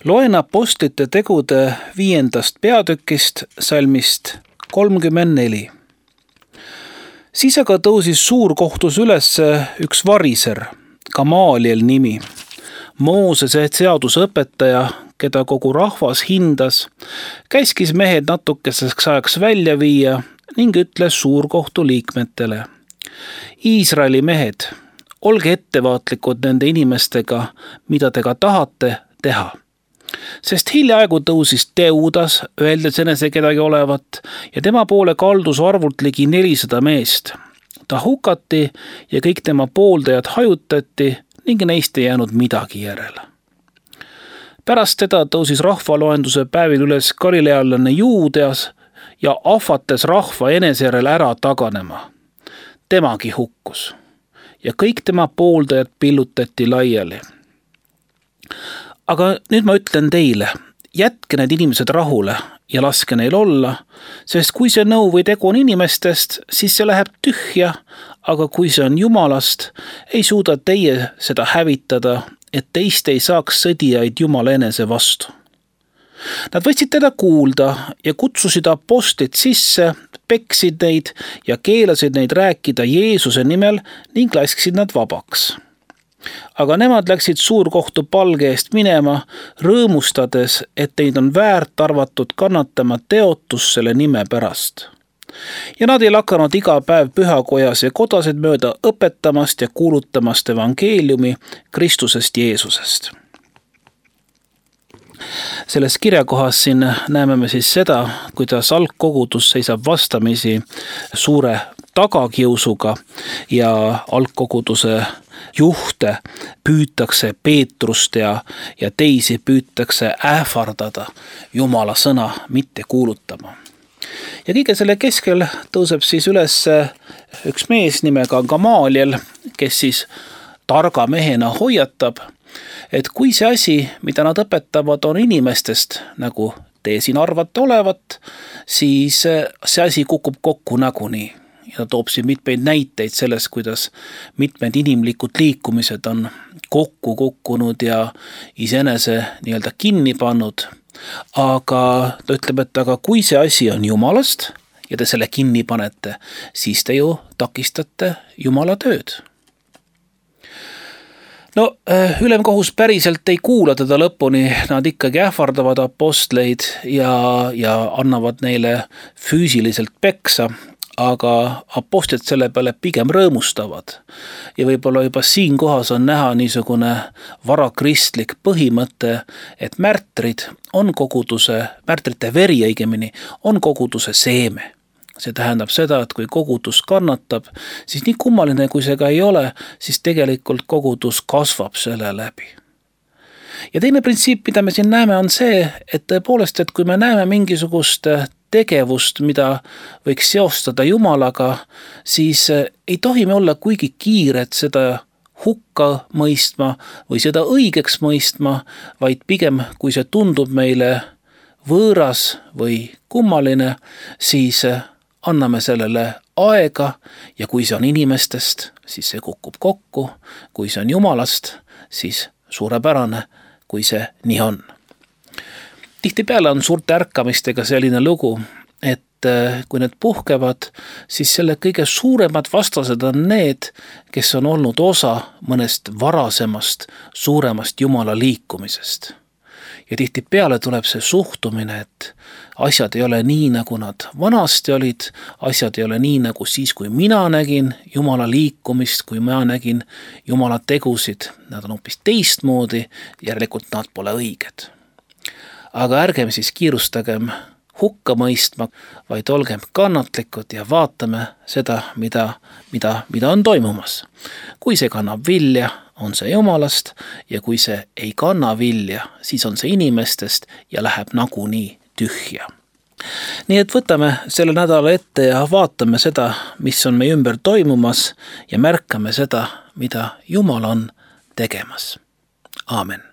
Loen apostlite tegude 5. peatükist salmist 34. Siis aga tõusis suurkohtus üles üks variser, Gamaliel nimi, Moosese seadusõpetaja, keda kogu rahvas hindas, käskis mehed natukeseks ajaks välja viia ning ütles suurkohtu liikmetele: Iisraeli mehed, olge ettevaatlikud nende inimestega, mida te ka tahate teha. Sest hiljaaegu tõusis Teudas, öeldes enese kedagi olevat, ja tema poole kaldus arvult ligi 400 meest. Ta hukati ja kõik tema pooldajad hajutati ning neist ei jäänud midagi järele. Pärast teda tõusis rahvaloenduse päevil üles galilealane Juudeas ja ahvates rahva enesejärel ära taganema. Temagi hukkus ja kõik tema pooldajad pillutati laiali. Aga nüüd ma ütlen teile, jätke need inimesed rahule ja laske neil olla, sest kui see nõu või tegu on inimestest, siis see läheb tühja, aga kui see on Jumalast, ei suuda teie seda hävitada, et teist ei saaks sõdijaid Jumala enese vastu. Nad võtsid teda kuulda ja kutsusid apostlid sisse, peksid neid ja keelasid neid rääkida Jeesuse nimel ning lasksid nad vabaks. Aga nemad läksid suurkohtu palge eest minema, rõõmustades, et neid on väärt arvatud kannatama teotus selle nime pärast. Ja nad ei lakanud iga päev pühakojas ja kodasid mööda õpetamast ja kuulutamast evangeeliumi Kristusest Jeesusest. Selles kirjakohas siin näeme me siis seda, kuidas algkogudus seisab vastamisi suure tagakiusuga ja algkoguduse juhte püütakse Peetrust ja teisi püütakse ähvardada Jumala sõna mitte kuulutama. Ja kõige selle keskel tõuseb siis üles üks mees nimega Gamaliel, kes siis targa mehena hoiatab, et kui see asi, mida nad õpetavad, on inimestest, nagu te siin arvate olevat, siis see asi kukub kokku nagunii. Ja ta toob siin mitmeid näiteid sellest, kuidas mitmed inimlikud liikumised on kokku kukkunud ja iseenese nii-öelda kinni pannud. Aga ta ütleb, et aga kui see asi on Jumalast ja te selle kinni panete, siis te ju takistate Jumala tööd. No, ülemkohus päriselt ei kuula teda lõpuni, nad ikkagi ähvardavad apostleid ja annavad neile füüsiliselt peksa, aga apostlid selle peale pigem rõõmustavad. Ja võib-olla juba siin kohas on näha niisugune varakristlik põhimõte, et märtrid on koguduse, märtrite veri õigemini, on koguduse seeme. See tähendab seda, et kui kogudus kannatab, siis nii kummaline kui see ka ei ole, siis tegelikult kogudus kasvab selle läbi. Ja teine printsiip, mida me siin näeme, on see, et tõepoolest, et kui me näeme mingisugust tegevust, mida võiks seostada Jumalaga, siis ei tohi me olla kuigi kiired seda hukka mõistma või seda õigeks mõistma, vaid pigem, kui see tundub meile võõras või kummaline, siis anname sellele aega ja kui see on inimestest, siis see kukub kokku, kui see on Jumalast, siis suurepärane, kui see nii on. Tihtipeale on suurte ärkamistega selline lugu, et kui need puhkevad, siis selle kõige suuremad vastased on need, kes on olnud osa mõnest varasemast suuremast Jumala liikumisest. Ja tihtipeale tuleb see suhtumine, et asjad ei ole nii, nagu nad vanasti olid, asjad ei ole nii, nagu siis, kui mina nägin Jumala liikumist, kui mina nägin Jumala tegusid, nad on hoopis teistmoodi, järelikult nad pole õiged. Aga ärgem siis kiirustagem hukka mõistma, vaid olgem kannatlikud ja vaatame seda, mida on toimumas. Kui see kannab vilja, on see Jumalast ja kui see ei kanna vilja, siis on see inimestest ja läheb nagunii tühja. Nii et võtame selle nädala ette ja vaatame seda, mis on meie ümber toimumas ja märkame seda, mida Jumal on tegemas. Aamen.